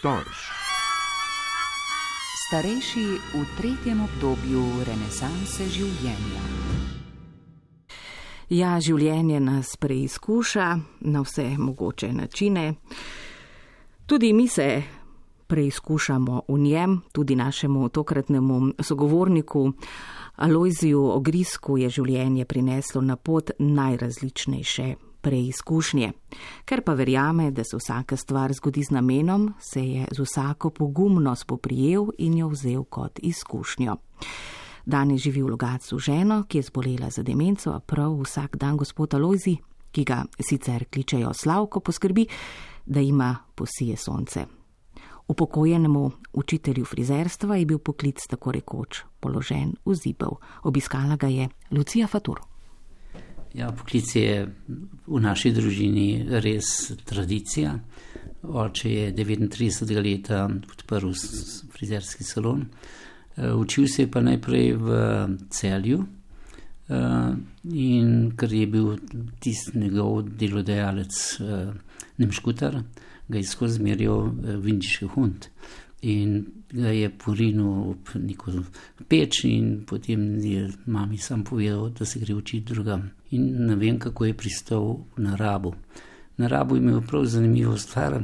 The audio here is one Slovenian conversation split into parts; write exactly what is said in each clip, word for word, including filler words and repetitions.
Storž. Starejši v tretjem obdobju renesanse življenja. Ja, življenje nas preizkuša na vse mogoče načine. Tudi mi se preizkušamo v njem, tudi našemu tokratnemu sogovorniku Alojziju Ogrisku je življenje prineslo na pot najrazličnejše preizkušnje. Ker pa verjame, da se vsaka stvar zgodi z namenom, se je z vsako pogumno spoprijel in jo vzel kot izkušnjo. Danes živi v Logatcu ženo, ki je zbolela za demenco, a prav vsak dan gospod Alojzij, ki ga sicer kličejo Slavko, poskrbi, da ima posije sonce. Upokojenemu učitelju frizerstva je bil poklic tako rekoč položen v zibel. Obiskala ga je Lucija Fatur. Ja, poklic je v naši družini res tradicija. Oče je devetintridesetega leta odprl frizerski salon. Učil se je pa najprej v Celju in ker je bil tisti njegov delodajalec Nemškutar, ga je skozi zmerjal Vindiški hund in ga je porinil ob neko peč in potem je mami sam povedal, da se gre učiti drugam. In ne vem, kako je pristal na Rabu. Na Rabu je imel prav zanimivo stvar,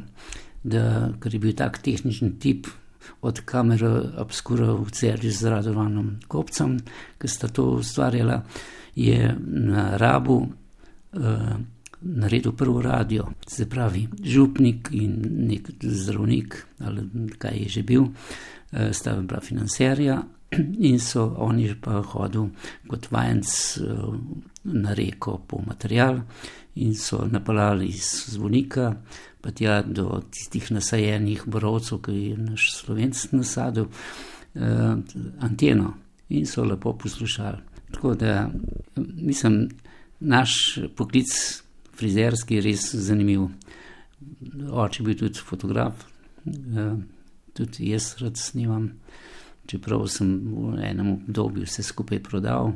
da ker je bil tak tehničen tip od Kamera Obscura v Celju z Radovanom Kopcem, ki sta to ustvarjala, je na Rabu uh, naredil prvo radio, se pravi župnik in nek zdravnik, ali kaj je že bil, uh, sta bila financerja in so oni pa hodil kot vajenc uh, na reko po material in so napeljali iz Zvonika pa tja do tistih nasajenih borovcev, ki je naš Slovenc nasadil, uh, anteno in so lepo poslušali. Tako da, mislim, naš poklic frizerski je res zanimiv. Oče je bil tudi fotograf, uh, tudi jaz rad snimam, čeprav sem v enem obdobju vse skupaj prodal,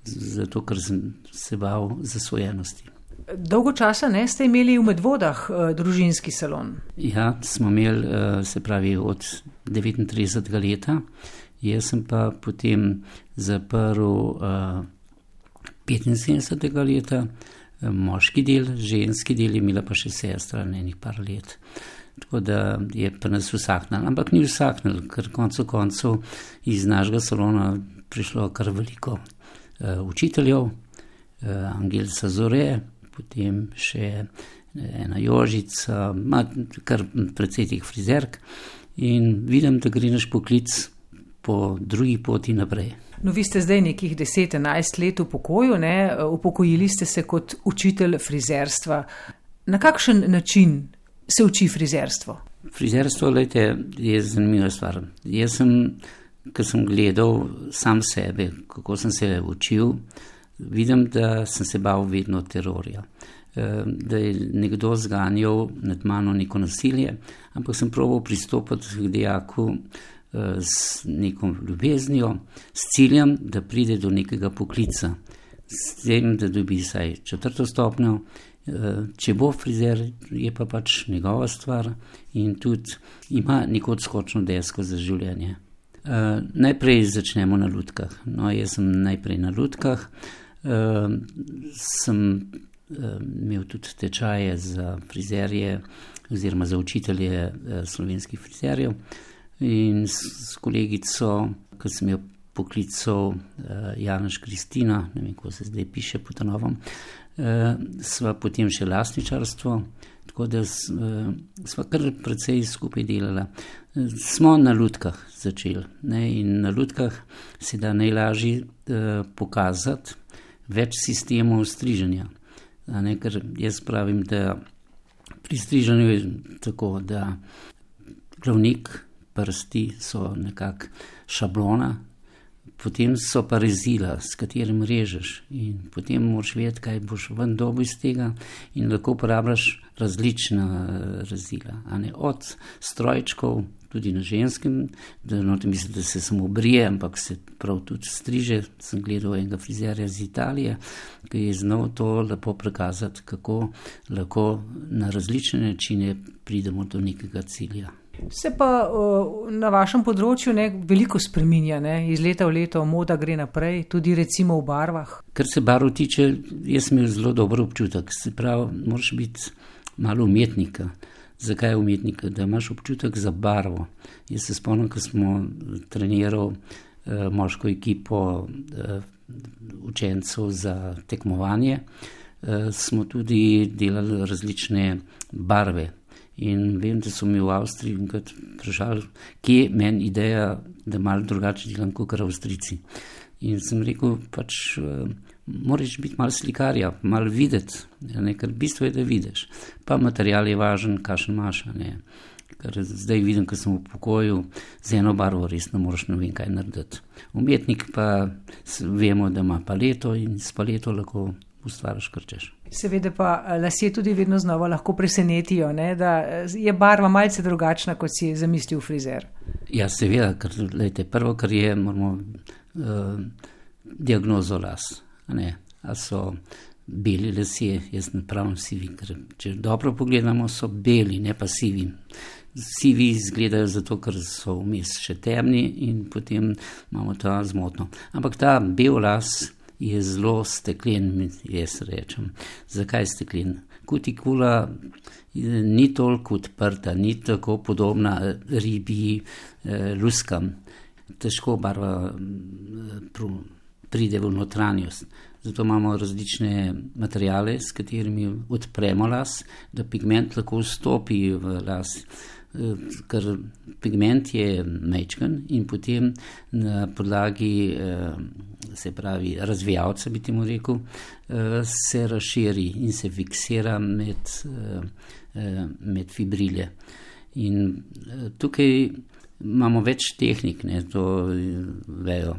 zato ker sem se bal zasvojenosti. Dolgo časa ne ste imeli v Medvodah uh, družinski salon? Ja, smo imeli, uh, se pravi, od devetintridesetega leta. Jaz sem pa potem zaprl uh, petinsedemdesetega leta, uh, moški del, ženski del je imela pa še sestra enih par let. Tako da je pa nas vsaknil. Ampak ni vsaknil, ker koncu koncev iz našega salona prišlo kar veliko uh, učiteljev, uh, Angelca Zore, potem še ena Jožica, ima kar precej teh frizerk in vidim, da gre naš poklic po drugi poti naprej. No, vi ste zdaj nekih deset, enajst let v pokoju, ne? Upokojili ste se kot učitelj frizerstva. Na kakšen način se uči frizerstvo? Frizerstvo, glejte, je zanimiva stvar. Jaz sem, ko sem gledal sam sebe, kako sem se učil, vidim, da sem se bal vedno terorja, da je nekdo zganjal nad mano neko nasilje, ampak sem probal pristopiti k dijaku s neko ljubeznijo, s ciljem, da pride do nekega poklica, s tem, da dobi saj četrto stopnjo. Če bo frizer, je pa pač njegova stvar in tudi ima neko odskočno desko za življenje. Najprej začnemo na lutkah. No, jaz sem najprej na lutkah. Uh, sem uh, imel tudi tečaje za frizerje oziroma za učitelje uh, slovenskih frizerjev in s, s kolegico, ko sem jo poklical uh, Janaš Kristina, ne vem, kako se zdaj piše po ta novom, uh, sva potem še lastničarstvo, tako da s, uh, sva kar precej skupaj delala. Uh, smo na lutkah začeli, ne, in na lutkah se da najlažje uh, pokazati več sistemov striženja. Ne, ker jaz pravim, da pri striženju je tako, da glavnik, prsti so nekako šablona, potem so pa rezila, s katerim režeš in potem moraš vedeti, kaj boš ven dobil iz tega in lahko uporabljaš različna rezila. A ne, od strojčkov, tudi na ženskem, da no, mislim, da se samo brije, ampak se prav tudi striže. Sem gledal enega frizerja iz Italije, ki je znal to lepo prikazati, kako lahko na različne načine pridemo do nekega cilja. Se pa uh, na vašem področju ne, veliko spreminja, ne? Iz leta v leto moda gre naprej, tudi recimo v barvah. Kar se barv tiče, jaz sem imel zelo dober občutek. Se pravi, moraš biti malo umetnika. Zakaj umetnika? Da imaš občutek za barvo. Jaz se spomnim, ko smo trenirali uh, moško ekipo uh, učencev za tekmovanje, uh, smo tudi delali različne barve. In vem, da so mi v Avstriji enkrat vprašali, kje je meni ideja, da malo drugače delam kot Avstrijci. In sem rekel, pač uh, moraš biti malo slikarja, malo videti, ne, ker bistvo je, da vidiš. Pa material je važen, kakšen imaš. Ne. Ker zdaj vidim, ko sem v pokoju, z eno barvo res ne moreš ne vem kaj narediti. Umetnik pa vemo, da ima paleto in s paleto lahko ustvariš, kar češ. Seveda pa lasje tudi vedno znova lahko presenetijo, ne? Da je barva malce drugačna, kot si je zamislil frizer. Ja, seveda, ker lejte, prvo, kar je, moramo uh, diagnozo las. Ne? A so beli lasje, jaz ne pravim sivi, ker če dobro pogledamo, so beli, ne pa sivi. Sivi izgledajo zato, ker so vmes še temni in potem imamo ta zmotno. Ampak ta bel las je zelo steklen, jaz rečem. Zakaj steklen? Kutikula ni toliko odprta, ni tako podobna ribi eh, luskam. Težko barva pride v notranjost. Zato imamo različne materijale, s katerimi odpremo las, da pigment lahko vstopi v las. Ker pigment je majčken in potem na podlagi, se pravi, razvijalca, bi temu rekel, se razširi in se fiksira med, med fibrile. In tukaj imamo več tehnik, ne, to vejo,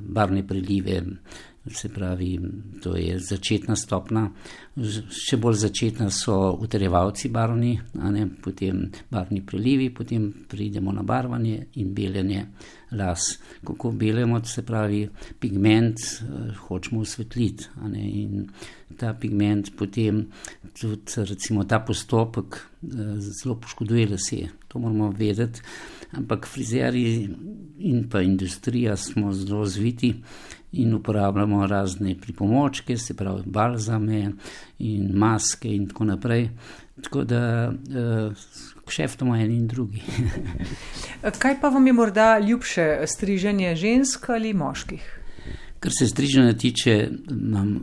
barvne prelive, se pravi, to je začetna stopna, še bolj začetna so utrjevalci barvni, a ne, potem barvni prelivi, potem pridemo na barvanje in beljenje las. Kako belemo, se pravi, pigment hočemo osvetliti, a ne, in ta pigment potem tudi, recimo, ta postopek zelo poškoduje lase. To moramo vedeti, ampak frizerji in pa industrija smo zelo zviti in uporabljamo razne pripomočke, se pravi balzame in maske in tako naprej. Tako da uh, kšeftamo eni in drugi. Kaj pa vam je morda ljubše, striženje žensk ali moških? Kar se striženja tiče, imam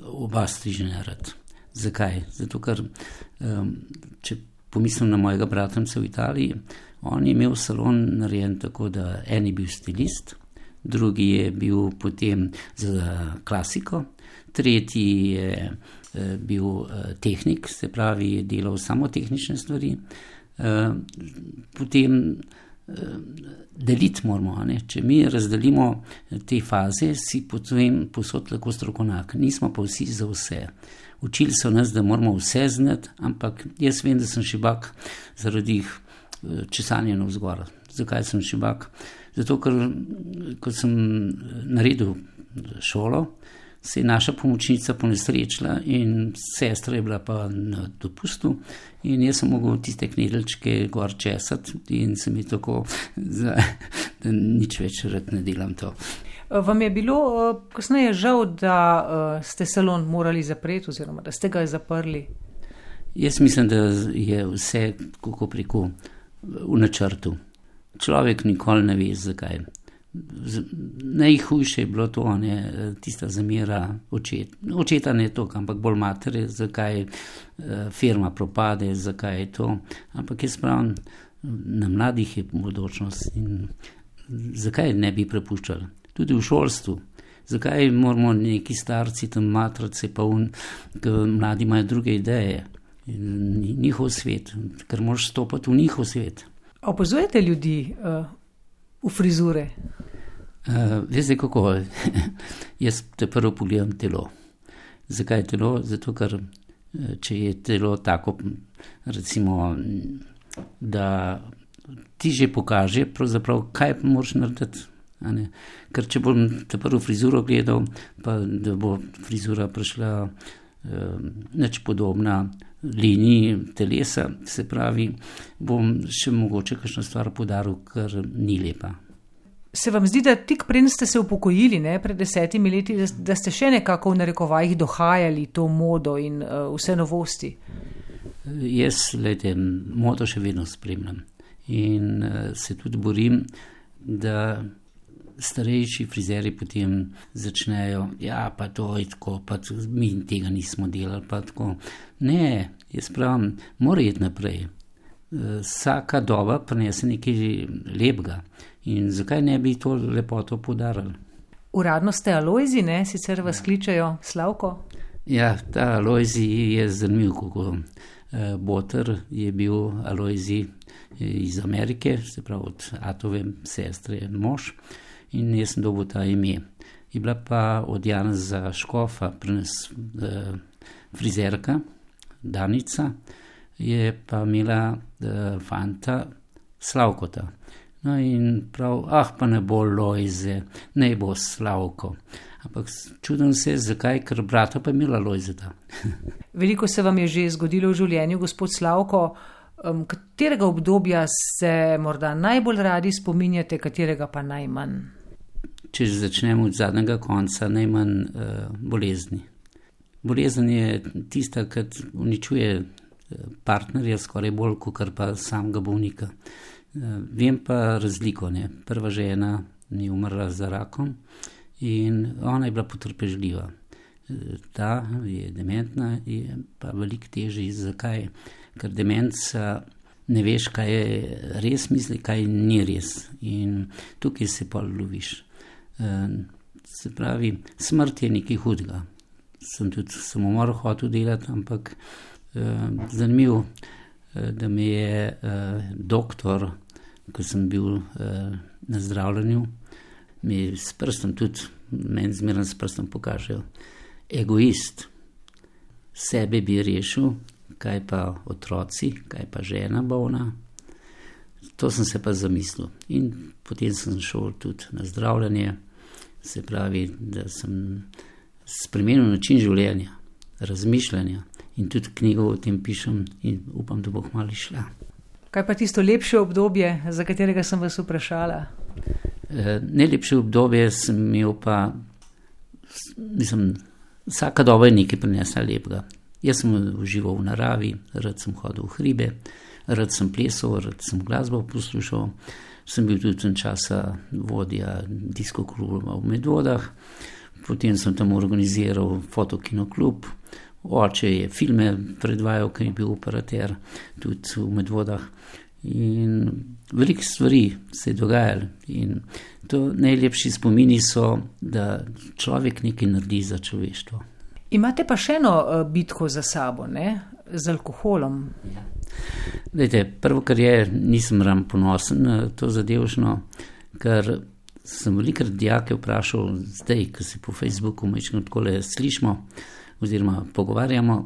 oba striženja rad. Zakaj? Zato, ker um, če pomislim na mojega bratanca v Italiji, on je imel salon narejen tako, da en je bil stilist, drugi je bil potem za klasiko, tretji je bil tehnik, se pravi, je delal samo tehnične stvari. Potem deliti moramo, ne? Če mi razdelimo te faze, si potem posod lahko strokovnjak. Nismo pa vsi za vse. Učili so nas, da moramo vse znati, ampak jaz vem, da sem šibak zaradi česanja navzgor. Zakaj sem šibak? Zato, ker ko sem naredil šolo, se je naša pomočnica ponesrečila in sestra je bila pa na dopustu in jaz sem mogel tiste knedeljčke gor česati in se mi tako, da nič več rad ne delam to. Vam je bilo kasneje žal, da ste salon morali zapreti oziroma da ste ga zaprli? Jaz mislim, da je vse kako preko v načrtu. Človek nikoli ne ve, zakaj. Najhujše je bilo to, ne, tista zamera očet. Očeta ne to, ampak bolj matere, zakaj firma propade, zakaj je to. Ampak jaz pravim, na mladih je bodočnost in zakaj ne bi prepuščali. Tudi v šolstvu. Zakaj moramo neki starci tam matrace, pa un, ker mladi imajo druge ideje. Njihov svet, ker moraš stopati v njihov svet. Opazujete ljudi uh, v frizure? Uh, veste kako, jaz te prvo pogledam telo. Zakaj telo? Zato, ker če je telo tako, recimo, da ti že pokaže, pravzaprav, kaj moraš narediti. A ne? Ker če bom te prvo frizuro gledal, pa da bo frizura prišla uh, nič podobna liniji telesa, se pravi, bom še mogoče kakšno stvar podaril, kar ni lepa. Se vam zdi, da tik preden ste se upokojili, ne, pred desetimi leti, da ste še nekako v narekovajih dohajali to modo in uh, vse novosti? Jaz, lejte, modo še vedno spremljam in uh, se tudi borim, da starejši frizeri potem začnejo, ja, pa to je tako, pa mi tega nismo delali, pa tako. Ne, jaz pravim, mora iti naprej. Vsaka doba prinese nekaj lepega in zakaj ne bi to lepoto poudarili? Uradno ste Alojzi, ne? Sicer vas kličejo Slavko? Ja, ta Alojzi je zanimiv, kako Boter je bil Alojzi iz Amerike, se pravi od Atove sestre mož. In jaz sem dobil ta ime. Je bila pa od Janeza Škofa pri nas eh, frizerka, Danica, je pa imela eh, fanta Slavkota. No in prav, ah, pa ne bo Lojze, ne bo Slavko. Ampak čudem se, zakaj, ker brata pa je imela Lojzeta. Veliko se vam je že zgodilo v življenju, gospod Slavko. Um, katerega obdobja se morda najbolj radi spominjate, katerega pa najmanj? Če začnemo od zadnjega konca, najmanj uh, bolezni. Bolezen je tista, ki uničuje partnerja skoraj bolj, kot pa samega bolnika. Uh, vem pa razliko, ne. Prva žena ni umrla za rakom in ona je bila potrpežljiva. Uh, ta je dementna, je pa veliko težje. Zakaj? Ker demenca ne veš, kaj je res misli, kaj ni res. In tukaj se pa loviš. Se pravi, smrt je nekaj hudega. Sem tudi samomor hotel delati, ampak eh, zanimivo, eh, da me je eh, doktor, ko sem bil eh, na zdravljenju, mi s prstom tudi, meni zmerno s prstom pokažejo, egoist, sebe bi rešil, kaj pa otroci, kaj pa žena bolna. To sem se pa zamislil. In potem sem šel tudi na zdravljenje. Se pravi, da sem spremenil način življenja, razmišljanja in tudi knjigo o tem pišem in upam, da bo kmalu šla. Kaj pa tisto lepše obdobje, za katerega sem vas vprašala? E, najlepše obdobje sem imel pa, mislim, vsaka doba je nekaj prinesla lepega. Jaz sem užival v naravi, rad sem hodil v hribe, rad sem plesal, rad sem glasbo poslušal. Sem bil tudi tam časa vodja disko kluba v Medvodah, potem sem tam organiziral fotokinoklub, oče je filme predvajal, ker je bil operater tudi v Medvodah in veliko stvari se je dogajalo in to najlepši spomini so, da človek nekaj naredi za človeštvo. Imate pa še eno bitko za sabo, ne? Z alkoholom. Ja. Dajte, prvo, kar je, nisem ravno ponosen na to zadevšno, ker sem velikrat dijake vprašal, zdaj, ko se po Facebooku majčkeno takole slišimo oziroma pogovarjamo,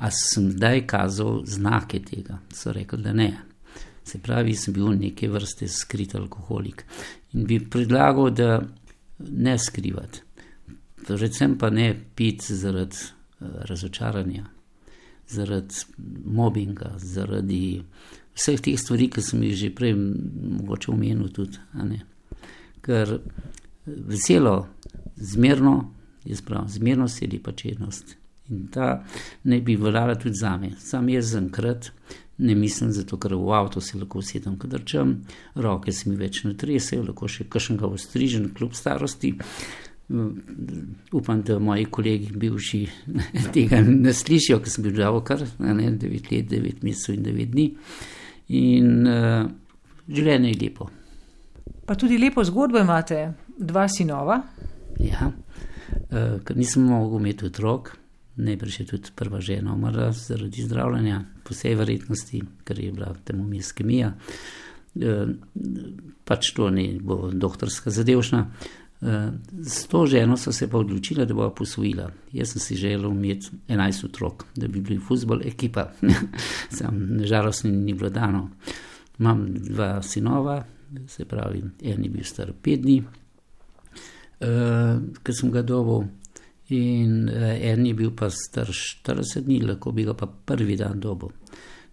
a sem zdaj kazal znake tega. So rekli, da ne. Se pravi, sem bil neke vrste skrit alkoholik. In bi predlagal, da ne skrivati. Predvsem pa ne piti zaradi razočaranja, zaradi mobinga, zaradi vseh teh stvari, ki sem jih že prej mogoče omenil tudi. A ne? Ker veselo, zmerno, jaz pravim, zmernost je lepa čednost. In ta ne bi veljala tudi zame. Sam jaz zaenkrat ne mislim, zato ker v avto se lahko usedem, kadar čem, roke se mi več ne tresejo, lahko še kakšnega ostrižen kljub starosti. Upam, da moji kolegi bivši tega ne slišijo, ker sem bil žal kar ne, devet let, devet mesecev in devet dni. In uh, življenje je lepo. Pa tudi lepo zgodbo imate, dva sinova. Ja, uh, ker nisem mogel imeti otrok, najbrž je tudi prva žena umrla zaradi zdravljenja, po vsej verjetnosti, ker je bila termomiskemija. Uh, pač to ne bo doktorska zadevšna. S to ženo so se pa odločila, da bo posvojila. Jaz sem si želel imeti enajst otrok, da bi bili fuzbol ekipa. Sam nažalost ni bilo dano. Imam dva sinova, se pravi, en je bil star pet dni, uh, ker sem ga dobil In en je bil pa star štirideset dni, lahko bi ga pa prvi dan dobil.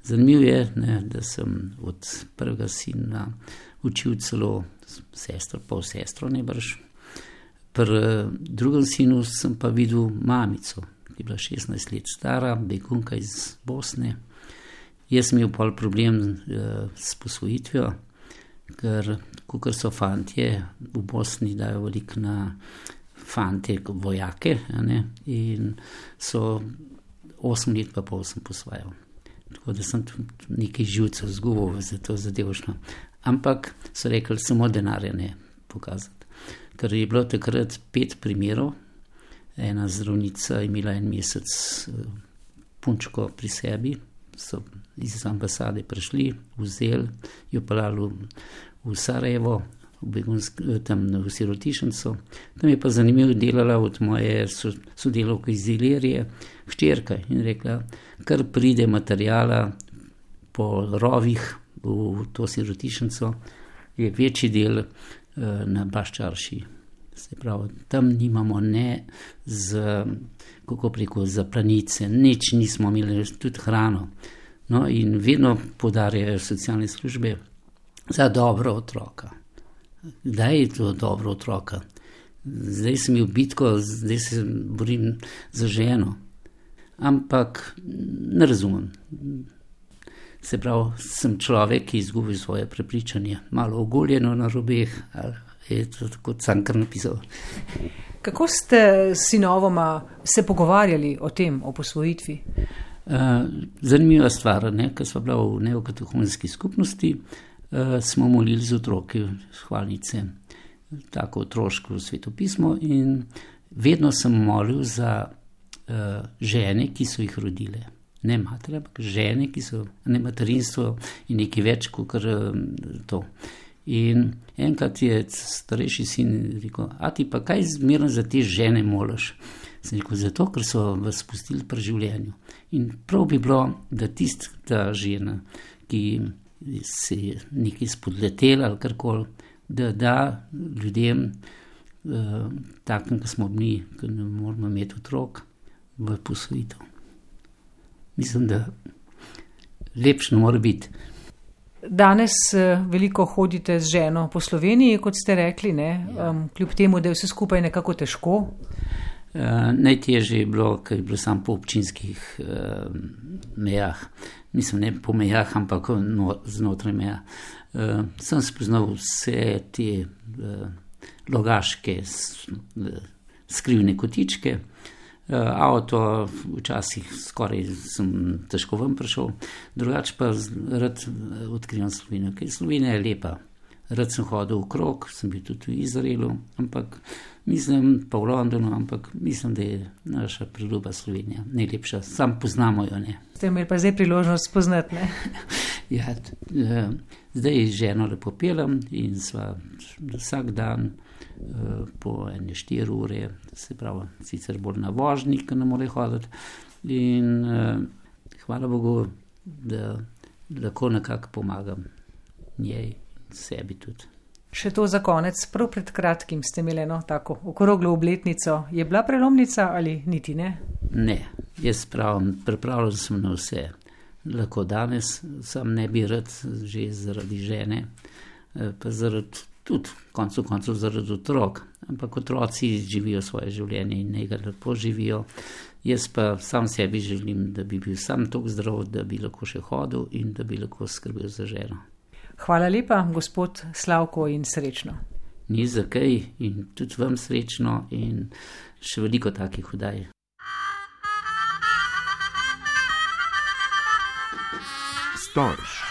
Zanimivo je, ne, da sem od prvega sina učil celo sestro, pol sestro najbrž. Pri drugem sinu sem pa videl mamico, ki je bila šestnajst let stara, begunka iz Bosne. Jaz sem imel pol problem uh, s posvojitvijo, ker kakor so fantje v Bosni dajo veliko na fante vojake, ne, in so osem let pa pol sem posvajal. Tako da sem nekaj živcev zgubil za to zadevšno. Ampak so rekli, samo denarja ne pokazati. Ker je bilo takrat pet primerov, ena zdravnica imela en mesec punčko pri sebi, so iz ambasade prišli, vzeli, jo pelali v Sarajevo, v begunsk, tam v sirotišnico. Tam je pa zanimivo delala od moje sodelavke iz Ilirije, hčerka, in rekla, kar pride materijala po rovih v to sirotišnico, je večji del uh, na Baščarši. Se pravi, tam nimamo ne z, kako preko, za planice, nič nismo imeli, tudi hrano. No, in vedno podarjajo socialne službe za dobro otroka. Kdaj je to dobro otroka? Zdaj sem imel bitko, zdaj se borim za ženo. Ampak ne razumem. Se pravi, sem človek, ki izgubi svoje prepričanje. Malo ogoljeno na robeh, ali je to tako Cankar napisal. Kako ste s sinovoma se pogovarjali o tem, o posvojitvi? Uh, zanimiva stvar, ne? Ker smo bila v neokatehonski skupnosti, Uh, smo molili z otroki hvalnice, tako otroško svetopismo, in vedno sem molil za uh, žene, ki so jih rodile. Ne matere, ampak žene, ki so, ne materinstvo in nekaj več kot uh, to. In enkrat je starejši sin rekel, a ti pa kaj zmerno za te žene moliš? Sem rekel, zato, ker so vas spustili pri življenju. In prav bi bilo, da tista žena, ki se je nekaj spodletela ali karkoli, da da ljudem uh, takim, ki smo mi, ki ne moramo imeti otrok, v posvojitev. Mislim, da lepše ne more biti. Danes veliko hodite z ženo po Sloveniji, kot ste rekli, ne? Ja. Um, kljub temu, da je vse skupaj nekako težko. Uh, najtežje je bilo, ker je bilo samo po občinskih uh, mejah. Mislim, ne po mejah, ampak no, znotraj meja. Uh, sem spoznal vse te uh, logaške uh, skrivne kotičke. Uh, avto včasih skoraj sem težko ven prišel. Drugače pa rad odkrivam Slovenijo, ker Slovenija je lepa. Rad sem hodil v krog, sem bil tudi v Izraelu, ampak mislim, pa v Londonu, ampak mislim, da je naša preljuba Slovenija najlepša. Sam poznamo jo, ne. Ste imeli pa zdaj priložnost spoznati, ne? Ja, zdaj z ženo lepo pelem in sva vsak dan po ene štiri ure, se pravi, sicer bolj na vožnji, ker ne more hoditi. In hvala Bogu, da lahko nekako pomagam njej, sebi tudi. Še to za konec, prav pred kratkim ste imeli eno tako okroglo obletnico. Je bila prelomnica ali niti ne? Ne, jaz pravim, pripravljen sem na vse. Lahko danes sam ne bi rad že zaradi žene, pa zaradi tudi koncu koncu zaradi otrok. Ampak otroci živijo svoje življenje in njega lepo živijo. Jaz pa sam sebi želim, da bi bil sam tako zdrav, da bi lahko še hodil in da bi lahko skrbel za ženo. Hvala lepa, gospod Slavko, in srečno. Ni za kaj in tudi vam srečno in še veliko takih oddaj. Storž.